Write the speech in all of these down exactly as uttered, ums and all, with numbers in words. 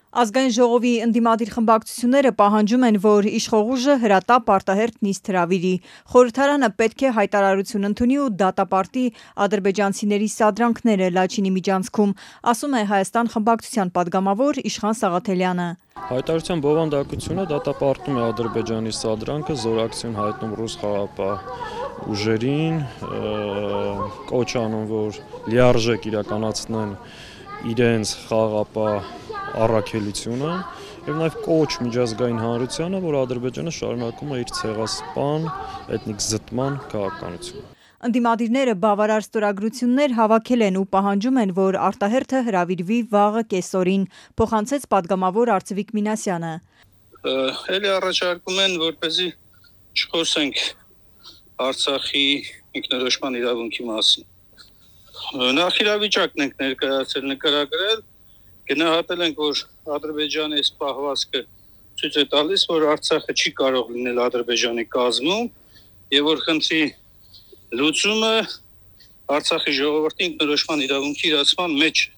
Ազգային ժողովի ընդդիմադիր խմբակցությունները պահանջում են, որ իշխող ուժը հրատապ արտահերթ նիստ հրավիրի։ Խորհրդարանը պետք է հայտարարություն ընդունի ու դատապարտի ադրբեջանցիների սադրանքները Լաչինի միջանցքում, ասում է Հայաստան խմբակցության падգամավոր Իշխան Սաղաթելյանը։ Հայտարարության բովանդակությունը դատապարտում է Ադրբեջանի սադրանքը, զորակցություն հայտնում ռուս խաղաղապահ ուժերին, կոչ անում, որ լիարժեք իրականացնեն իրենց խաղաղապահ առաքելությունը եւ նաեւ կոչ միջազգային հանրությանը, որ Ադրբեջանը շարունակում է իր ցեղասպան էթնիկ զտման քաղաքականությունը։ Ընդդիմադիրները բավարար ստորագրություններ հավաքել են ու պահանջում են, որ արտահերթը հրավիրվի վաղը կեսօրին, փոխանցեց падգամավոր Արծվիկ Մինասյանը։ Էլի առաջարկում են, որպեսզի չխոսենք Արցախի ինքնորոշման իրավունքի մասին։ Նախ իրավիճակն ենք ներկայացել, նկարագրել, գնահատել ենք, որ Ադրբեջանի այս պահվածքը ցույց է տալիս, որ Արցախը չի կարող լինել Ադրբեջանի կազմում եւ որ խնդրի լուծումը Արցախի ժողովրդի ինքնորոշման իրավունքի իրացման մեջ է։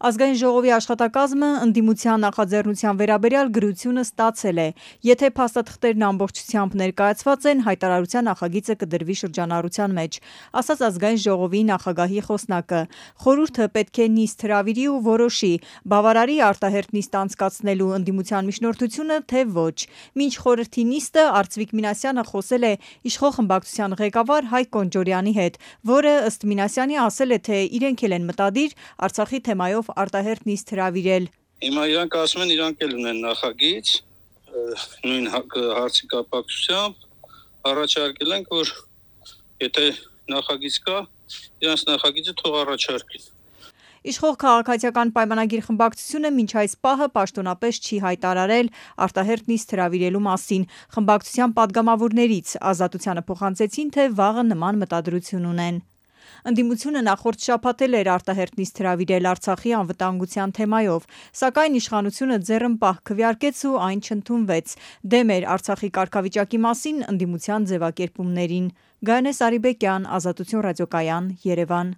Ազգային ժողովի աշխատակազմը ընդդիմության նախաձեռնության վերաբերյալ գրությունը ստացել է։ Եթե փաստաթղթերն ամբողջությամբ ներկայացված են, հայտարարության նախագիծը կդրվի շրջանառության մեջ, ասաց Ազգային ժողովի նախագահի խոսնակը։ Խորհուրդը պետք է նիստ հրավիրի ու որոշի՝ բավարարի արտահերթ նիստ անցկացնելու ընդդիմության միջնորդությունը, թե ոչ։ Մինչ խորհրդի նիստը Արծվիկ Մինասյանը խոսել է իշխող խմբակցության ղեկավար Հայկ Կոնջորյանի հետ, որը ըստ Մինասյանի ասել է, թե իրենք էլ են մտադիր Արցախի թեմայով արտահերթ նիստ հրավիրել։ Հիմա իրանք ասում են, իրանք էլ ունեն նախագիծ նույն հարցի կապակցությամբ, առաջարկել ենք, որ եթե նախագիծ կա, իրանց նախագիծը թող առաջարկեն։ Իշխող քաղաքացիական պայմանագիր խմբակցությունը մինչ այս պահը պաշտոնապես չի հայտարարել արտահերթ նիստ հրավիրելու մասին։ Խմբակցության падգամավորներից Ազատությանը փոխանցեցին, թե վաղը նման մտադրություն ունեն։ Ընդդիմությունը նախորդ շաբաթ էլ էր արտահերթ նիստ հրավիրել Արցախի անվտանգության թեմայով, սակայն իշխանությունը ձեռնպահ քվեարկեց ու այն չընդունվեց։ Դեմ էր Արցախի կարգավիճակի մասին ընդդիմության ձևակերպումներին։ Գայանե Սարիբեկյան, Ազատություն ռադիոկայան, Երևան։